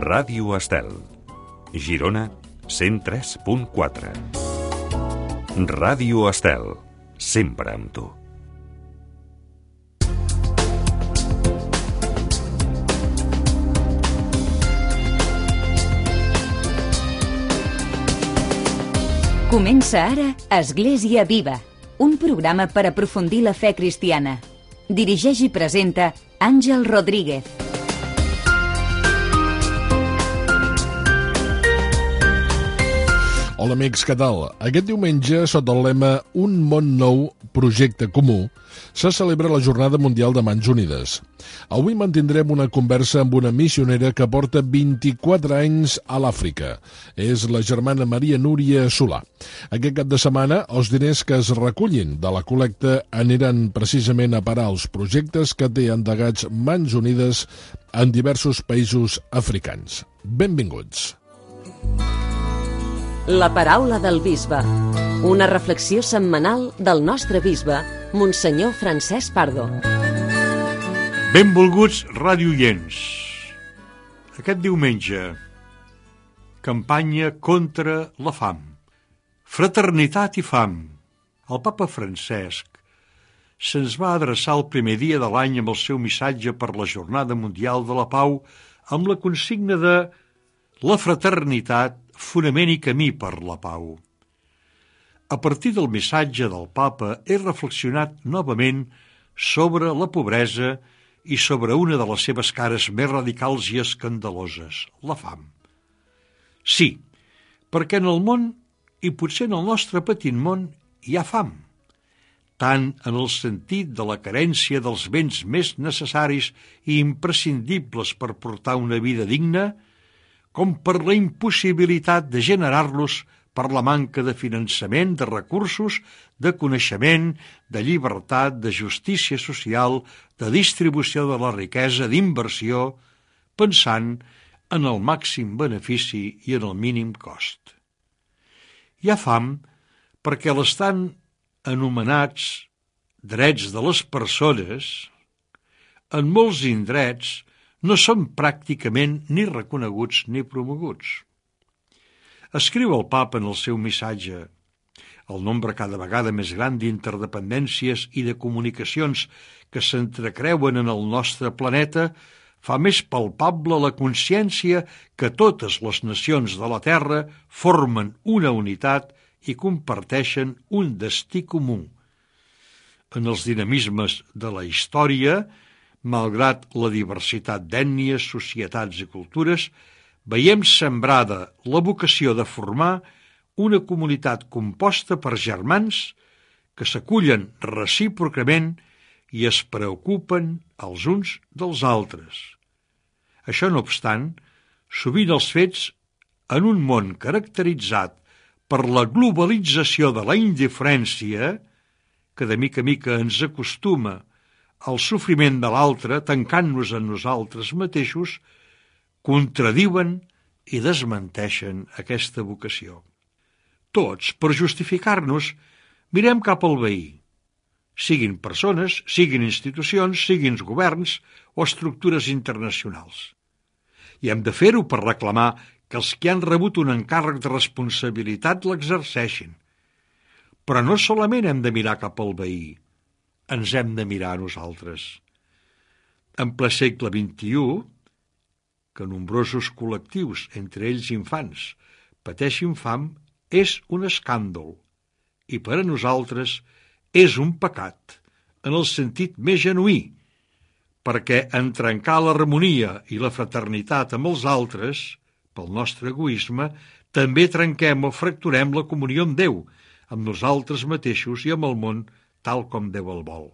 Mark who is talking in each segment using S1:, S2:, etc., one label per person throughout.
S1: Ràdio Estel, Girona 103.4. Ràdio Estel, sempre amb tu.
S2: Comença ara Església Viva, un programa per aprofundir la fe cristiana. Dirigeix i presenta Àngel Rodríguez.
S3: Hola amics, què tal? Aquest diumenge, sota el lema Un món nou, projecte comú, se celebra la Jornada Mundial de Mans Unides. Avui mantindrem una conversa amb una missionera que porta 24 anys a l'Àfrica. És la germana Maria Núria Solà. Aquest cap de setmana, els diners que es recullin de la col·lecta aniran precisament a parar als projectes que té endegats Mans Unides en diversos països africans. Benvinguts.
S4: La paraula del bisbe. Una reflexió setmanal del nostre bisbe, Monsenyor Francesc Pardo.
S5: Benvolguts radioients. Aquest diumenge, campanya contra la fam. Fraternitat i fam. El papa Francesc se'ns va adreçar el primer dia de l'any amb el seu missatge per la Jornada Mundial de la Pau amb la consigna de la fraternitat, fonament i camí per la pau. A partir del missatge del papa he reflexionat novament sobre la pobresa i sobre una de les seves cares més radicals i escandaloses, la fam. Sí, perquè en el món, i potser en el nostre petit món, hi ha fam, tant en el sentit de la carència dels béns més necessaris i imprescindibles per portar una vida digna, com per la impossibilitat de generar-los per la manca de finançament, de recursos, de coneixement, de llibertat, de justícia social, de distribució de la riquesa, d'inversió, pensant en el màxim benefici i en el mínim cost. Hi ha fam perquè l'estan anomenats drets de les persones, en molts indrets no són pràcticament ni reconeguts ni promoguts. Escriu el papa en el seu missatge: el nombre cada vegada més gran d'interdependències i de comunicacions que s'entrecreuen en el nostre planeta fa més palpable la consciència que totes les nacions de la Terra formen una unitat i comparteixen un destí comú. En els dinamismes de la història, malgrat la diversitat d'ètnies, societats i cultures, veiem sembrada la vocació de formar una comunitat composta per germans que s'acullen recíprocament i es preocupen els uns dels altres. Això no obstant, sovint els fets, en un món caracteritzat per la globalització de la indiferència, que de mica en mica ens acostuma el sofriment de l'altre, tancant-nos en nosaltres mateixos, contradiuen i desmenteixen aquesta vocació. Tots, per justificar-nos, mirem cap al veí, siguin persones, siguin institucions, siguin governs o estructures internacionals. I hem de fer-ho per reclamar que els que han rebut un encàrrec de responsabilitat l'exerceixin. Però no solament hem de mirar cap al veí, ens hem de mirar a nosaltres. En ple segle XXI, que nombrosos col·lectius, entre ells infants, pateixin fam, és un escàndol, i per a nosaltres és un pecat, en el sentit més genuí, perquè en trencar l'harmonia i la fraternitat amb els altres, pel nostre egoisme, també trenquem o fracturem la comunió amb Déu, amb nosaltres mateixos i amb el món, tal com Déu el vol.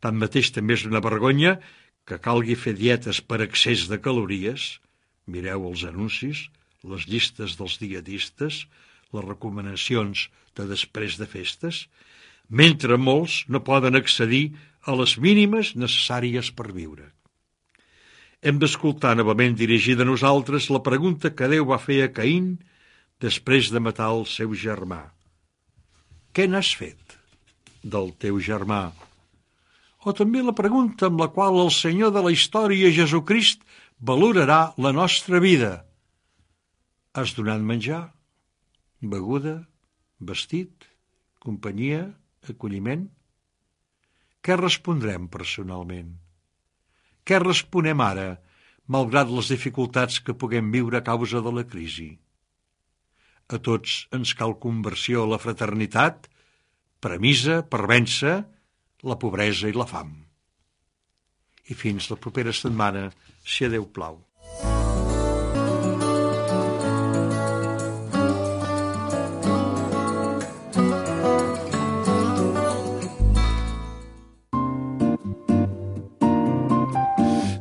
S5: Tanmateix també és una vergonya que calgui fer dietes per excés de calories, mireu els anuncis, les llistes dels dietistes, les recomanacions de després de festes, mentre molts no poden accedir a les mínimes necessàries per viure. Hem d'escoltar novament dirigida a nosaltres la pregunta que Déu va fer a Caín després de matar el seu germà. Què n'has fet del teu germà? O també la pregunta amb la qual el Senyor de la història, Jesucrist, valorarà la nostra vida. Has donat menjar, beguda, vestit, companyia, acolliment? Què respondrem personalment? Què responem ara, malgrat les dificultats que puguem viure a causa de la crisi? A tots ens cal conversió a la fraternitat, premissa per vèncer la pobresa i la fam. I fins la propera setmana, si a Déu plau.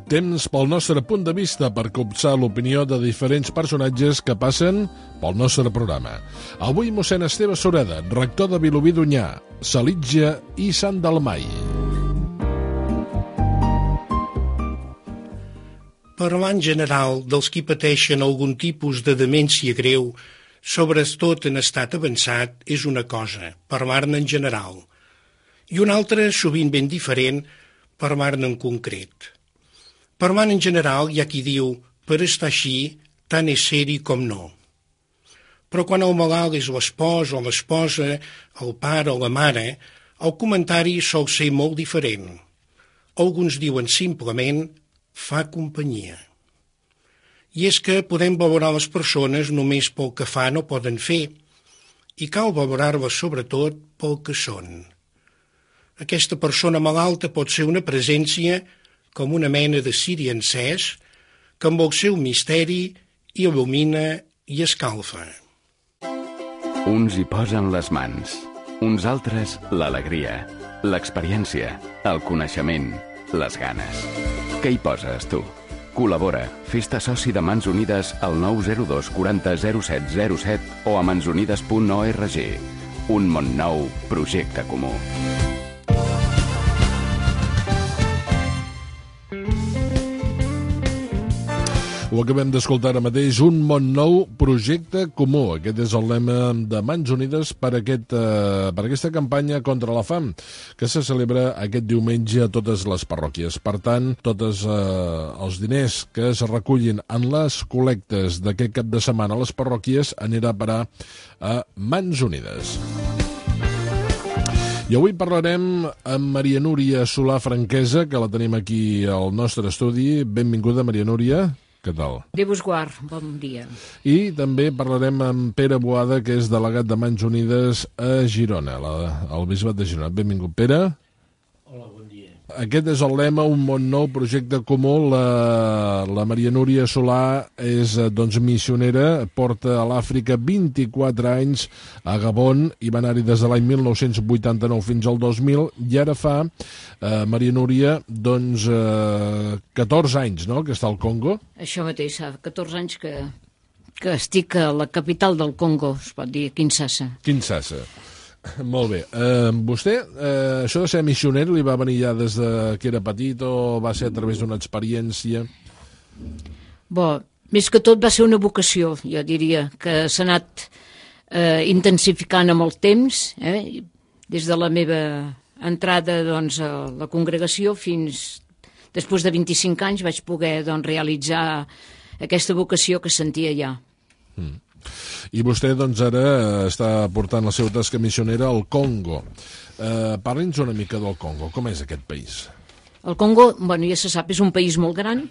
S3: Temps pel nostre punt de vista per copsar l'opinió de diferents personatges que passen pel nostre programa. Avui mossèn Esteve Sureda, rector de Vilobí d'Onyar, Salitja i Sant Dalmai.
S6: Parlar en general dels qui pateixen algun tipus de demència greu, sobretot en estat avançat, és una cosa, parlar-ne en general. I una altra, sovint ben diferent, parlar-ne en concret. Parlant en general hi ha qui diu, per estar així, tant és ser-hi com no. Però quan el malalt és l'espòs o l'esposa, el pare o la mare, el comentari sol ser molt diferent. Alguns diuen simplement, fa companyia. I és que podem valorar les persones només pel que fan o poden fer, i cal valorar-les sobretot pel que són. Aquesta persona malalta pot ser una presència com una mena de ciri encès que amb el seu misteri il·lumina i escalfa.
S7: Uns hi posen les mans, uns altres l'alegria, l'experiència, el coneixement, les ganes. Què hi poses, tu? Col·labora, fes-te soci de Mans Unides al 902 40 07 07 o a mansunides.org. Un món nou, projecte comú.
S3: Ho acabem d'escoltar ara mateix, un món nou, projecte comú. Aquest és el lema de Mans Unides per aquesta campanya contra la fam, que se celebra aquest diumenge a totes les parròquies. Per tant, tots els diners que es recullin en les col·lectes d'aquest cap de setmana a les parròquies anirà a parar a Mans Unides. I avui parlarem amb Maria Núria Solà Franquesa, que la tenim aquí al nostre estudi. Benvinguda, Maria Núria. Què tal?
S8: Déu vos guard, bon dia.
S3: I també parlarem amb Pere Boada, que és delegat de Mans Unides a Girona, al Bisbat de Girona. Benvingut, Pere.
S6: Hola, bon dia.
S3: Aquest és el lema, un món nou, projecte comú. La Maria Núria Solà és missionera, porta a l'Àfrica 24 anys a Gabon i va anar-hi des de l'any 1989 fins al 2000 i ara fa, Maria Núria, 14 anys, no?, que està al Congo.
S8: Això mateix, fa 14 anys que estic a la capital del Congo, es pot dir, Kinshasa.
S3: Kinshasa. Molt bé. Vostè, això de ser missioner, li va venir ja des de que era petit o va ser a través d'una experiència?
S8: Bo, més que tot va ser una vocació, jo diria, que s'ha anat intensificant amb el temps, des de la meva entrada doncs, a la congregació fins després de 25 anys vaig poder realitzar aquesta vocació que sentia ja.
S3: I vostè, doncs, ara està portant la seva tasca missionera al Congo. Parli'ns una mica del Congo. Com és aquest país?
S8: El Congo, bueno, ja se sap, és un país molt gran,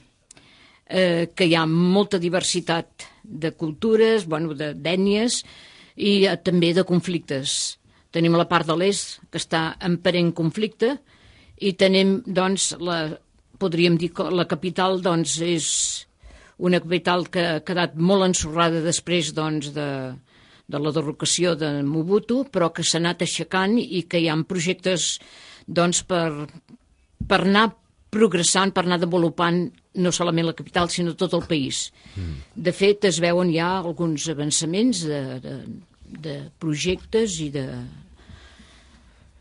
S8: que hi ha molta diversitat de cultures, bueno, d'ètnies i també de conflictes. Tenim la part de l'est, que està en perenne conflicte, i tenim, doncs, podríem dir que la capital, doncs, és una capital que ha quedat molt ensorrada després doncs, de la derrocació de Mobutu, però que s'ha anat aixecant i que hi ha projectes doncs, per anar progressant, per anar desenvolupant no solament la capital, sinó tot el país. De fet, es veuen ja alguns avançaments de projectes i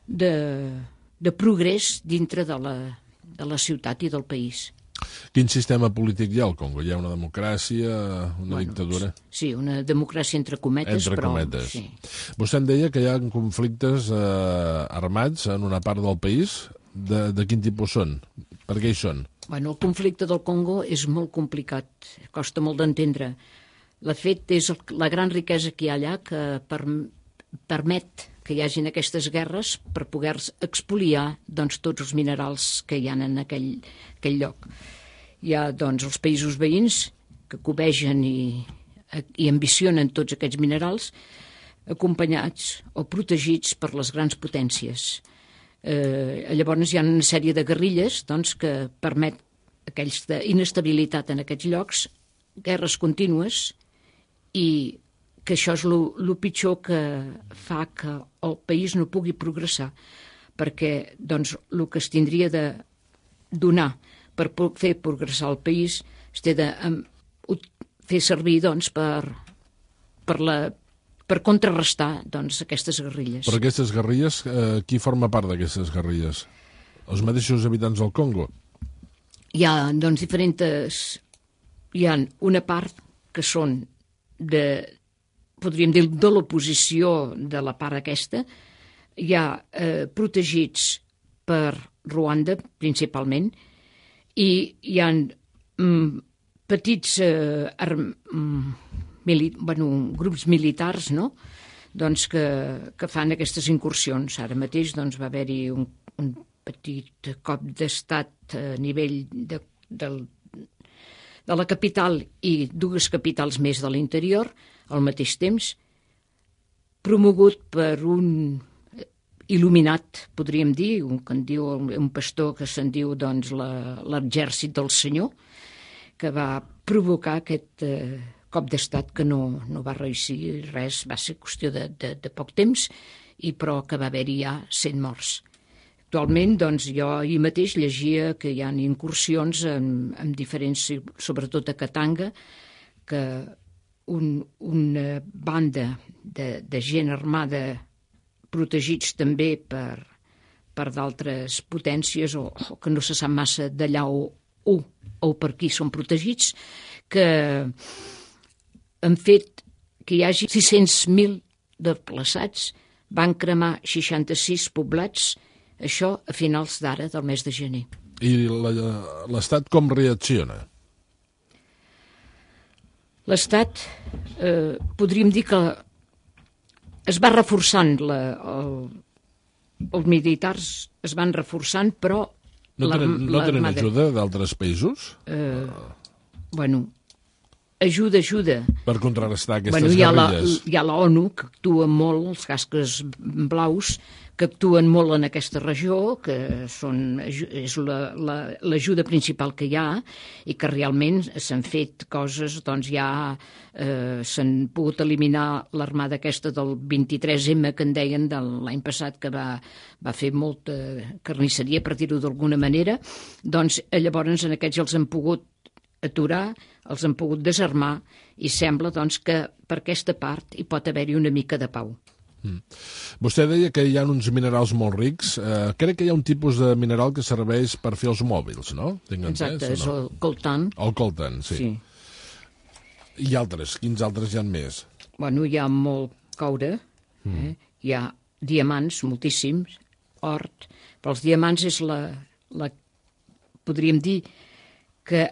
S8: de progrés dintre de la ciutat i del país.
S3: Quin sistema polític hi ha al Congo? Hi ha una democràcia, una dictadura?
S8: Sí, una democràcia entre cometes.
S3: Entre cometes.
S8: Sí.
S3: Vostè em deia que hi ha conflictes armats en una part del país. De quin tipus són? Per què hi són?
S8: Bueno, el conflicte del Congo és molt complicat, costa molt d'entendre. De fet, és la gran riquesa que hi ha allà que permet que hi hagin aquestes guerres per poder expoliar doncs, tots els minerals que hi ha en aquell lloc. Hi ha doncs, els països veïns que cobegen i ambicionen tots aquests minerals, acompanyats o protegits per les grans potències. Llavors hi ha una sèrie de guerrilles doncs, que permet aquesta inestabilitat en aquests llocs, guerres contínues, i que això és el pitjor que fa que el país no pugui progressar, perquè doncs, el que es tindria de donar per fer progressar el país es té de fer servir doncs, per contrarrestar doncs, aquestes guerrilles.
S3: Per aquestes guerrilles, qui forma part d'aquestes guerrilles? Els mateixos habitants del Congo?
S8: Hi ha doncs, diferents... Hi ha una part que són podríem dir, de l'oposició de la part aquesta. Hi ha protegits per Ruanda, principalment, i hi ha petits grups militars, no? doncs, que fan aquestes incursions. Ara mateix doncs, va haver-hi un petit cop d'estat a nivell de la capital i dues capitals més de l'interior, al mateix temps, promogut per un il·luminat, podríem dir, un pastor que se'n diu doncs, l'exèrcit del Senyor, que va provocar aquest cop d'estat que no va reeixir res, va ser qüestió de poc temps, però que va haver-hi ja 100 morts. Actualment, doncs, jo ahir mateix llegia que hi ha incursions en diferents, sobretot a Katanga, que una banda de gent armada protegits també per d'altres potències o que no se sap massa d'allà o per qui són protegits, que han fet que hi hagi 600.000 desplaçats, van cremar 66 poblats, això a finals d'ara, del mes de gener.
S3: I l'Estat com reacciona?
S8: L'Estat, podríem dir que es va reforçant, els militars es van reforçant, però...
S3: No tenen ajuda d'altres països?
S8: Bueno, ajuda.
S3: Per contrarrestar aquestes guerrilles?
S8: Hi ha l'ONU, que actua molt, els casques blaus, que actuen molt en aquesta regió, que és l'ajuda principal que hi ha, i que realment s'han fet coses, doncs ja s'han pogut eliminar l'armada aquesta del 23M, que en deien de l'any passat, que va fer molta carnisseria, per dir-ho d'alguna manera. Doncs llavors en aquests els han pogut aturar, els han pogut desarmar, i sembla doncs, que per aquesta part hi pot haver-hi una mica de pau.
S3: Vostè deia que hi ha uns minerals molt rics. Crec que hi ha un tipus de mineral que serveix per fer els mòbils, no?
S8: Exacte, és el coltan.
S3: El coltan, sí. I altres? Quins altres hi ha més?
S8: Bueno, hi ha molt coure, hi ha diamants, moltíssims, or, però els diamants és podríem dir que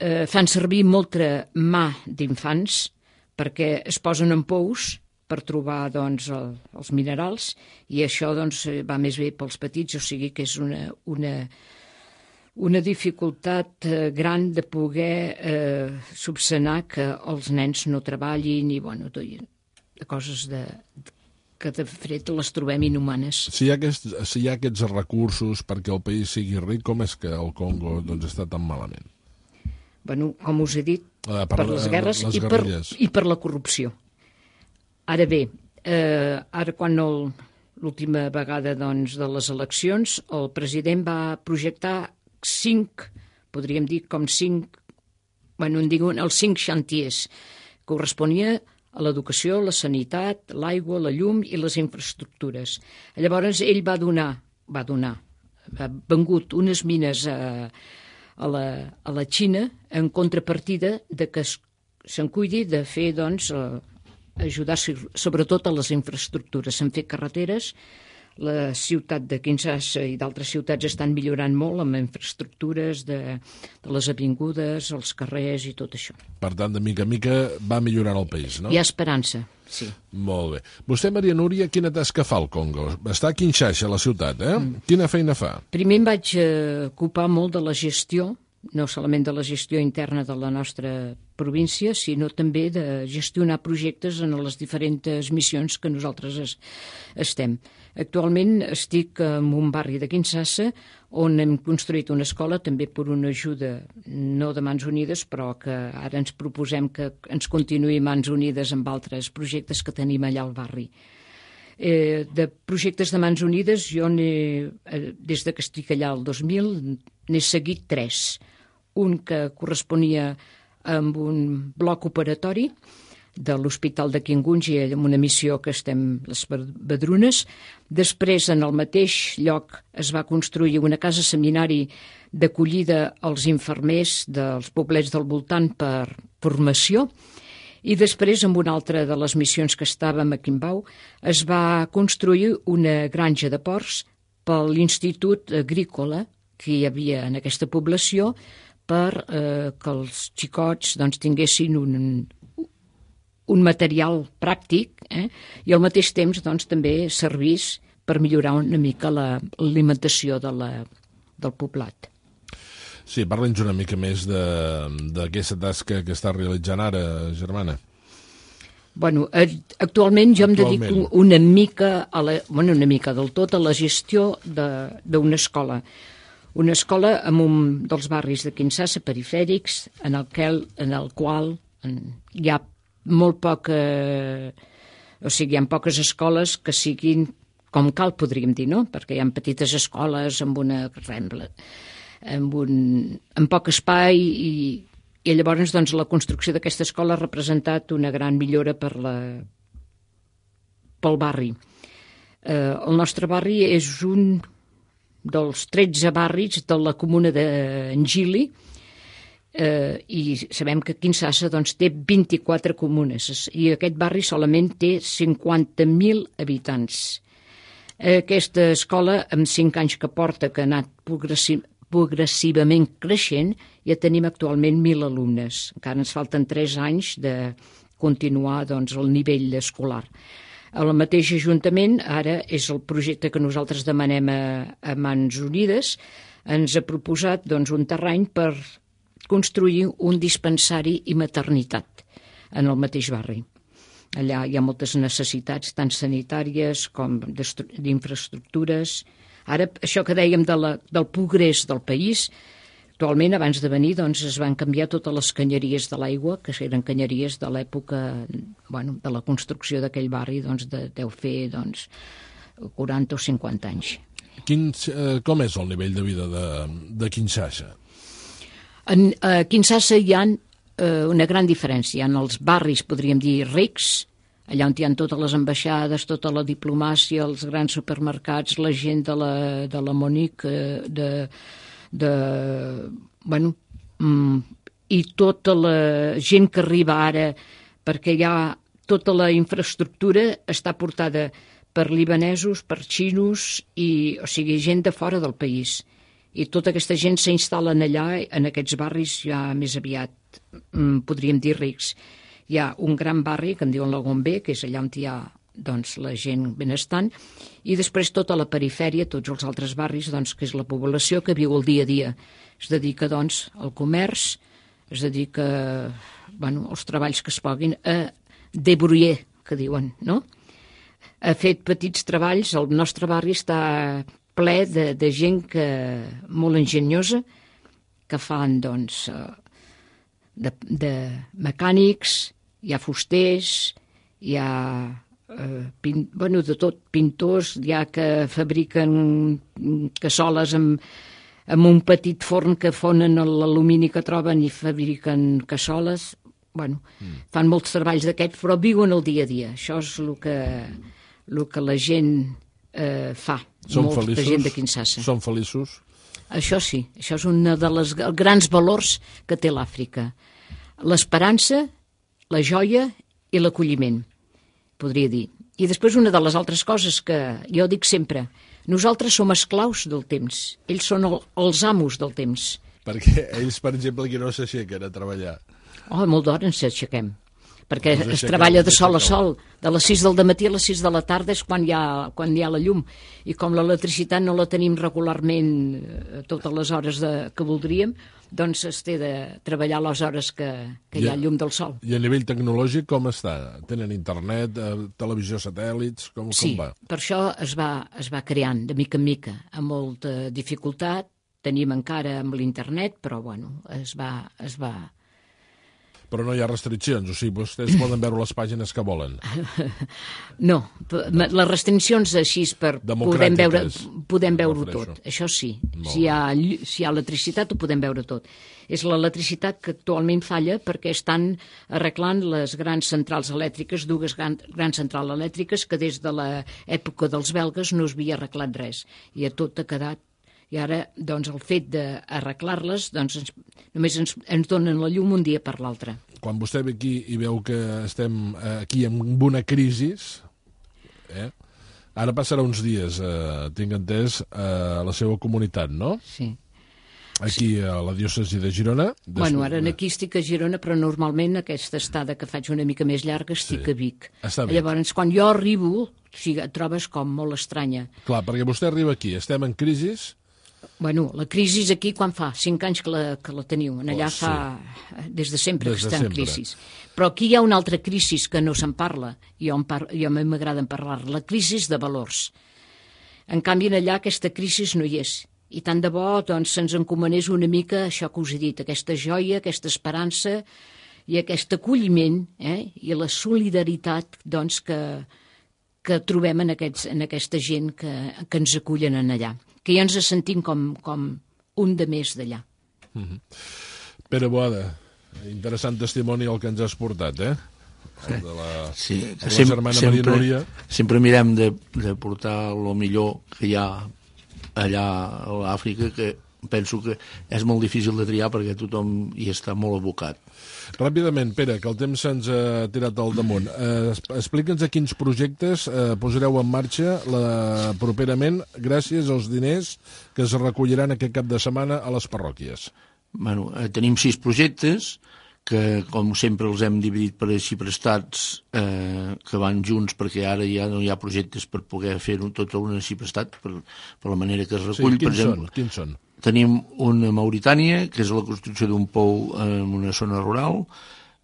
S8: fan servir molta mà d'infants perquè es posen en pous per trobar doncs, els minerals, i això doncs, va més bé pels petits, o sigui que és una dificultat gran de poder subsanar que els nens no treballin i coses que de fet les trobem inhumanes.
S3: Si hi ha aquests recursos perquè el país sigui ric, com és que el Congo doncs, està tan malament?
S8: Bueno, com us he dit, per les guerres i per la corrupció. Ara bé, quan l'última vegada doncs, de les eleccions, el president va projectar 5, podríem dir com 5, els 5 xantiers, que corresponia a l'educació, la sanitat, l'aigua, la llum i les infraestructures. Llavors ell va vengut unes mines a la Xina en contrapartida de que se'n cuidi de fer, doncs, ajudar sobretot a les infraestructures. S'han fet carreteres La ciutat de Kinshasa i d'altres ciutats estan millorant molt amb infraestructures de les avingudes, els carrers i tot això.
S3: Per tant, de mica en mica va millorant el país, no?
S8: Hi ha esperança, sí.
S3: Molt bé. Vostè, Maria Núria, quina tasca fa al Congo? Està a Kinshasa, la ciutat, Quina feina fa?
S8: Primer em vaig ocupar molt de la gestió, no solament de la gestió interna de la nostra província, sinó també de gestionar projectes en les diferents missions que nosaltres estem. Actualment estic en un barri de Kinshasa on hem construït una escola, també per una ajuda no de Mans Unides, però que ara ens proposem que ens continuï Mans Unides amb altres projectes que tenim allà al barri. De projectes de Mans Unides, jo des que estic allà el 2000 n'he seguit 3. Un que corresponia amb un bloc operatori de l'Hospital de Kingunji, amb una missió que estem les Badrunes. Després, en el mateix lloc, es va construir una casa seminari d'acollida als infermers dels poblets del voltant per formació. I després, amb una altra de les missions que estàvem a Quimbau, es va construir una granja de porcs per l'Institut Agrícola que hi havia en aquesta població per que els xicots tinguessin un material pràctic i al mateix temps també servís per millorar una mica l'alimentació del poblat.
S3: Sí, parla'ns una mica més d'aquesta tasca que està realitzant ara, germana.
S8: Bueno, actualment jo em dedico una mica del tot a la gestió d'una escola. Una escola en un dels barris de Kinshasa perifèrics en el qual hi ha molt poca... O sigui, hi ha poques escoles que siguin com cal, podríem dir, no? Perquè hi ha petites escoles amb una rembla, amb poc espai i llavors la construcció d'aquesta escola ha representat una gran millora pel barri. El nostre barri és un dels 13 barris de la comuna d'Engili i sabem que Kinshasa té 24 comunes i aquest barri solament té 50.000 habitants. Aquesta escola, amb 5 anys que porta, que ha anat progressivament creixent, ja tenim actualment 1.000 alumnes. Encara ens falten 3 anys de continuar el nivell escolar. El mateix Ajuntament, ara és el projecte que nosaltres demanem a Mans Unides, ens ha proposat un terreny per construir un dispensari i maternitat en el mateix barri. Allà hi ha moltes necessitats, tant sanitàries com d'infraestructures. Ara, això que dèiem del progrés del país, actualment, abans de venir, es van canviar totes les canyeries de l'aigua, que eren canyeries de l'època de la construcció d'aquell barri, deu fer 40 o 50 anys.
S3: Com és el nivell de vida de Kinshasa?
S8: A Kinshasa hi ha una gran diferència. En els barris, podríem dir, rics, allà on hi ha totes les ambaixades, tota la diplomàcia, els grans supermercats, la gent de la Monique, i tota la gent que arriba ara, perquè hi ha tota la infraestructura està portada per libanesos, per xinos, o sigui, gent de fora del país. I tota aquesta gent s'instal·len allà, en aquests barris ja més aviat, podríem dir, rics. Hi ha un gran barri que en diuen la Gombe, que és allà on hi ha la gent benestant, i després tota la perifèria, tots els altres barris, que és la població que viu el dia a dia. Es dedica, al comerç, es dedica als treballs que es puguin, a débrouiller, que diuen, no? Ha fet petits treballs, el nostre barri està ple de gent molt enginyosa, que fan, de mecànics, hi ha fusters, hi ha de tot, pintors, hi ha que fabriquen cassoles amb un petit forn que fonen l'alumini que troben i fabriquen cassoles. Fan molts treballs d'aquests, però viuen el dia a dia. Això és el que la gent fa, molta gent de Kinshasa.
S3: Són feliços?
S8: Això sí, això és un dels grans valors que té l'Àfrica. L'esperança, la joia i l'acolliment, podria dir. I després una de les altres coses que jo dic sempre, nosaltres som esclaus del temps, ells són els amos del temps.
S3: Perquè ells, per exemple, aquí no s'aixequen a treballar.
S8: Oh, molt d'hora ens aixequem, perquè es treballa de sol a sol, de les 6 del matí a les 6 de la tarda és quan hi ha la llum, i com l'electricitat no la tenim regularment a totes les hores que voldríem, doncs es té de treballar a les hores que hi ha llum del sol.
S3: I a nivell tecnològic com està? Tenen internet, televisió satèl·lits, com va?
S8: Sí, per això es va creant de mica en mica, amb molta dificultat, tenim encara amb l'internet, però bueno, es va...
S3: Però no hi ha restriccions, o sigui, vostès poden veure les pàgines que volen.
S8: No, les restriccions així per podem veure tot, això sí. Si hi ha electricitat ho podem veure tot. És l'electricitat que actualment falla perquè estan arreglant les grans centrals elèctriques, dues grans centrals elèctriques que des de l'època dels belgues no es havia arreglat res, i tot ha quedat. I ara, doncs, el fet d'arreglar-les, doncs, només ens donen la llum un dia per l'altre.
S3: Quan vostè ve aquí i veu que estem aquí amb una crisi, ara passarà uns dies, tinc entès, a la seva comunitat, no?
S8: Sí.
S3: Aquí a la diòcesi de Girona.
S8: Bueno, ara aquí estic a Girona, però normalment aquesta estada que faig una mica més llarga estic a Vic. Llavors, quan jo arribo, et trobes com molt estranya.
S3: Clar, perquè vostè arriba aquí, estem en crisi.
S8: Bueno, la crisi aquí quan fa? 5 anys que la teniu. Allà fa... Des de sempre que està en crisi. Però aquí hi ha una altra crisi que no se'n parla. Jo m'agrada parlar. La crisi de valors. En canvi, allà aquesta crisi no hi és. I tant de bo doncs, se'ns encomanés una mica això que us he dit, aquesta joia, aquesta esperança i aquest acolliment i la solidaritat doncs, que trobem en aquesta gent que ens acullen allà, que ja ens sentim com un de més d'allà.
S3: Pere Boada, interessant testimoni el que ens has portat, El de la germana Maria Núria.
S9: Sempre mirem de portar el millor que hi ha allà a l'Àfrica, que penso que és molt difícil de triar perquè tothom hi està molt abocat.
S3: Ràpidament, Pere, que el temps se'ns ha tirat al damunt. Explica'ns a quins projectes posareu en marxa properament gràcies als diners que es recolliran aquest cap de setmana a les parròquies.
S9: Bueno, tenim 6 projectes que, com sempre, els hem dividit per ciprestats que van junts, perquè ara ja no hi ha projectes per poder fer-ho tot a un ciprestat per la manera que es recull.
S3: Sí, quins són?
S9: Tenim una a Mauritània, que és la construcció d'un pou en una zona rural,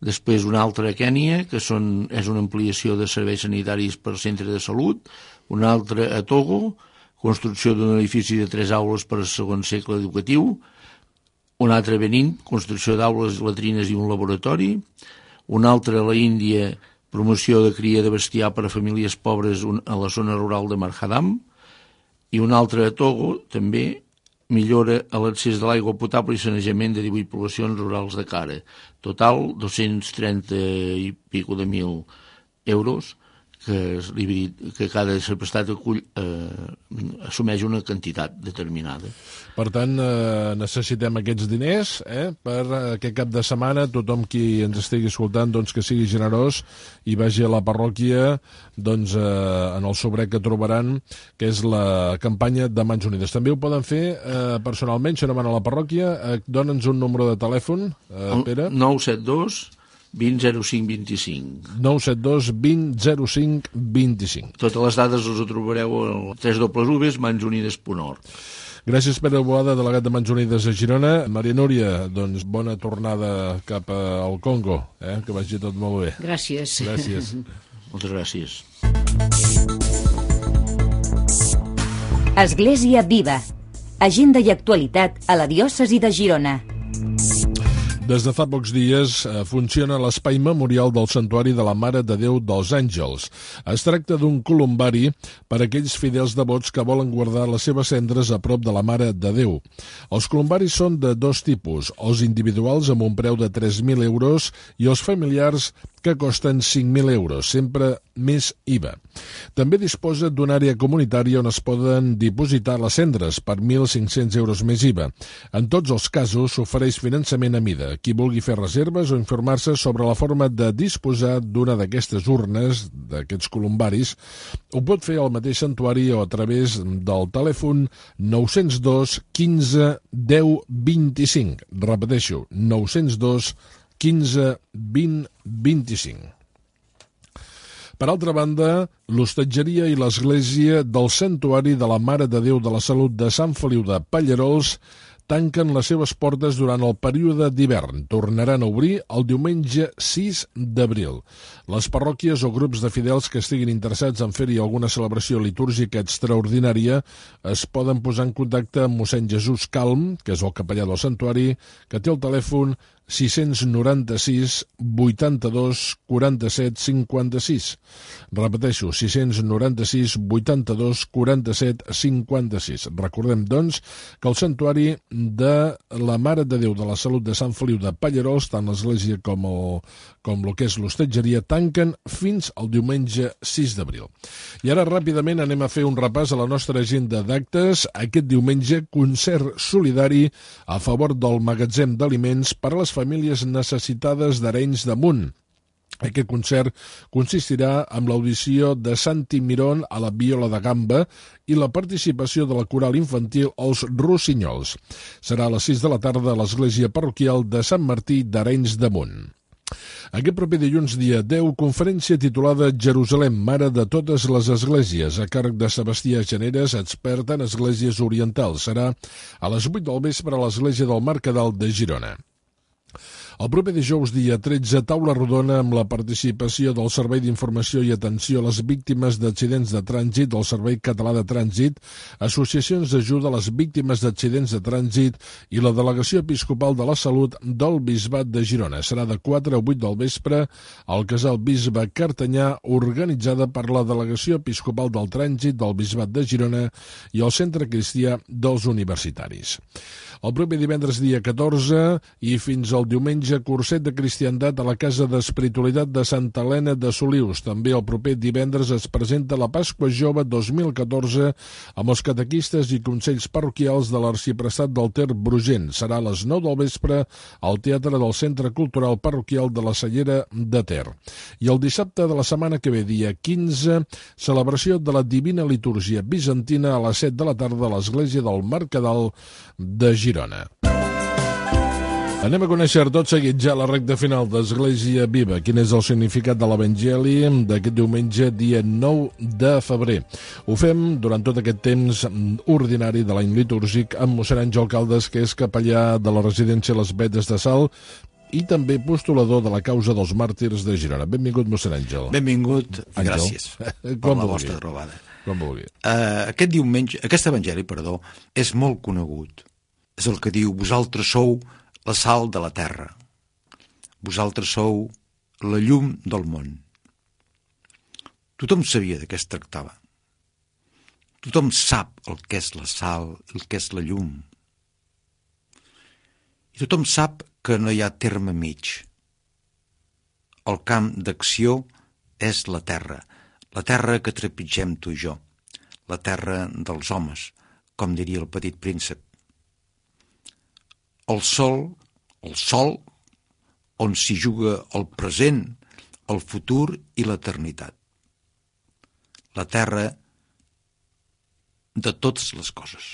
S9: després una altra a Kènia, que és una ampliació de serveis sanitaris per centre de salut, una altra a Togo, construcció d'un edifici de 3 aules per al segon segle educatiu, un altre a Benín, construcció d'aules, latrines i un laboratori, un altre a la Índia, promoció de cria de bestiar per a famílies pobres a la zona rural de Marhadam, i un altre a Togo, també, millora a l'accés de l'aigua potable i sanejament de 18 poblacions rurals de Cara. Total, 230 i pico de mil euros que cada prestat assumeix una quantitat determinada.
S3: Per tant, necessitem aquests diners per aquest cap de setmana. Tothom qui ens estigui escoltant doncs, que sigui generós i vagi a la parròquia doncs, en el sobret que trobaran, que és la campanya de Mans Unides. També ho poden fer personalment, si no van a la parròquia. Dóna'ns un número de telèfon, Pere.
S9: 972 20 05 25.
S3: 972 20 05 25.
S9: Totes les dades us ho trobareu al www.mansunides.org.
S3: Gràcies, Pere Boada, delegat de Mans Unides a Girona. Maria Núria, doncs bona tornada cap al Congo, que vagi tot molt bé.
S8: Gràcies.
S3: Gràcies.
S9: Moltes gràcies.
S2: Església Viva. Agenda i actualitat a la diòcesi de Girona.
S3: Des de fa pocs dies funciona l'espai memorial del Santuari de la Mare de Déu dels Àngels. Es tracta d'un columbari per a aquells fidels devots que volen guardar les seves cendres a prop de la Mare de Déu. Els columbaris són de 2 tipus, els individuals amb un preu de 3.000 euros i els familiars que costen 5.000 euros, sempre més IVA. També disposa d'una àrea comunitària on es poden dipositar les cendres per 1.500 euros més IVA. En tots els casos s'ofereix finançament a mida. Qui vulgui fer reserves o informar-se sobre la forma de disposar d'una d'aquestes urnes, d'aquests columbaris, ho pot fer al mateix santuari o a través del telèfon 902 15 10 25. Repeteixo, 902 15 20 25. Per altra banda, l'hostatgeria i l'església del Santuari de la Mare de Déu de la Salut de Sant Feliu de Pallerols tanquen les seves portes durant el període d'hivern. Tornaran a obrir el diumenge 6 d'abril. Les parròquies o grups de fidels que estiguin interessats en fer-hi alguna celebració litúrgica extraordinària es poden posar en contacte amb mossèn Jesús Calm, que és el capellà del santuari, que té el telèfon 696 82 47 56. Repeteixo, 696 82 47 56. Recordem, doncs, que el santuari de la Mare de Déu de la Salut de Sant Feliu de Pallerols, tant l'església com el que és l'hostatgeria, tanquen fins al diumenge 6 d'abril. I ara ràpidament anem a fer un repàs a la nostra agenda d'actes. Aquest diumenge, concert solidari a favor del magatzem d'aliments per a les famílies necessitades d'Arenys de Munt. Aquest concert consistirà en l'audició de Santi Mirón a la viola de gamba i la participació de la coral infantil Els Rossinyols. Serà a les 6 de la tarda a l'església parroquial de Sant Martí d'Arenys de Munt. Aquest proper dilluns, dia 10, conferència titulada Jerusalem, Mare de totes les esglésies, a càrrec de Sebastià Generes, expert en esglésies orientals. Serà a les 8 del vespre a l'església del Mercadal de Girona. El proper dijous, dia 13, taula rodona amb la participació del Servei d'Informació i Atenció a les Víctimes d'Accidents de Trànsit, del Servei Català de Trànsit, associacions d'ajuda a les víctimes d'accidents de trànsit i la Delegació Episcopal de la Salut del Bisbat de Girona. Serà de 4 a 8 del vespre al Casal Bisbe Cartanyà, organitzada per la Delegació Episcopal del Trànsit del Bisbat de Girona i el Centre Cristià dels Universitaris. El proper divendres, dia 14, i fins al diumenge, curset de cristiandat a la Casa d'Espiritualitat de Santa Helena de Solius. També el proper divendres es presenta la Pasqua Jove 2014 amb els catequistes i consells parroquials de l'Arxiprestat del Ter Brugent. Serà a les 9 del vespre al Teatre del Centre Cultural Parroquial de la Cellera de Ter. I el dissabte de la setmana que ve, dia 15, celebració de la Divina Litúrgia Bizantina a les 7 de la tarda a l'església del Mercadal de Girona. Anem a conèixer tot seguit ja la recta final d'Església Viva. Quin és el significat de l'Evangeli d'aquest diumenge, dia 9 de febrer. Ho fem durant tot aquest temps ordinari de l'any litúrgic amb mossèn Àngel Caldes, que és capellà de la residència Les Vetes de Salt i també postulador de la causa dels màrtirs de Girona. Benvingut, mossèn Àngel.
S10: Benvingut i gràcies per la vostra trobada. Aquest diumenge, aquest evangeli, és molt conegut. És el que diu: vosaltres sou la sal de la terra. Vosaltres sou la llum del món. Tothom sabia de què es tractava. Tothom sap el que és la sal, el que és la llum. I tothom sap que no hi ha terme mig. El camp d'acció és la terra que trepitgem tu i jo, la terra dels homes, com diria el Petit Príncep. El sol, on s'hi juga el present, el futur i l'eternitat. La terra de totes les coses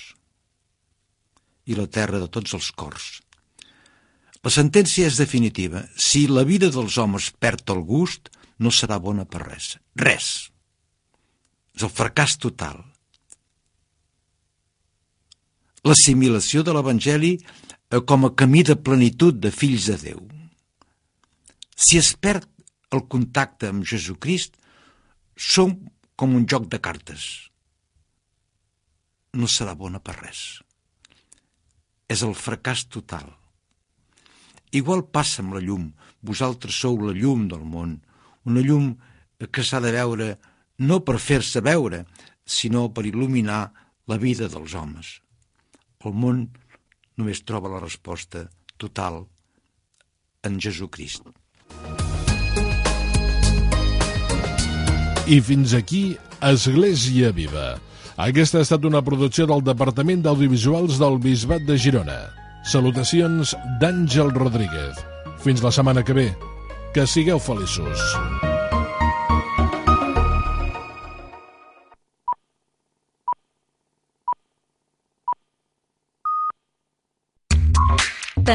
S10: i la terra de tots els cors. La sentència és definitiva. Si la vida dels homes perd el gust, no serà bona per res. Res. És el fracàs total. L'assimilació de l'Evangeli com a camí de plenitud de fills de Déu. Si es perd el contacte amb Jesucrist, som com un joc de cartes. No serà bona per res. És el fracàs total. Igual passa amb la llum. Vosaltres sou la llum del món, una llum que s'ha de veure no per fer-se veure, sinó per il·luminar la vida dels homes. El món només troba la resposta total en Jesucrist.
S3: I fins aquí Església Viva. Aquesta ha estat una producció del Departament d'Audiovisuals del Bisbat de Girona. Salutacions d'Àngel Rodríguez. Fins la setmana que ve. Que sigueu feliços.
S2: Te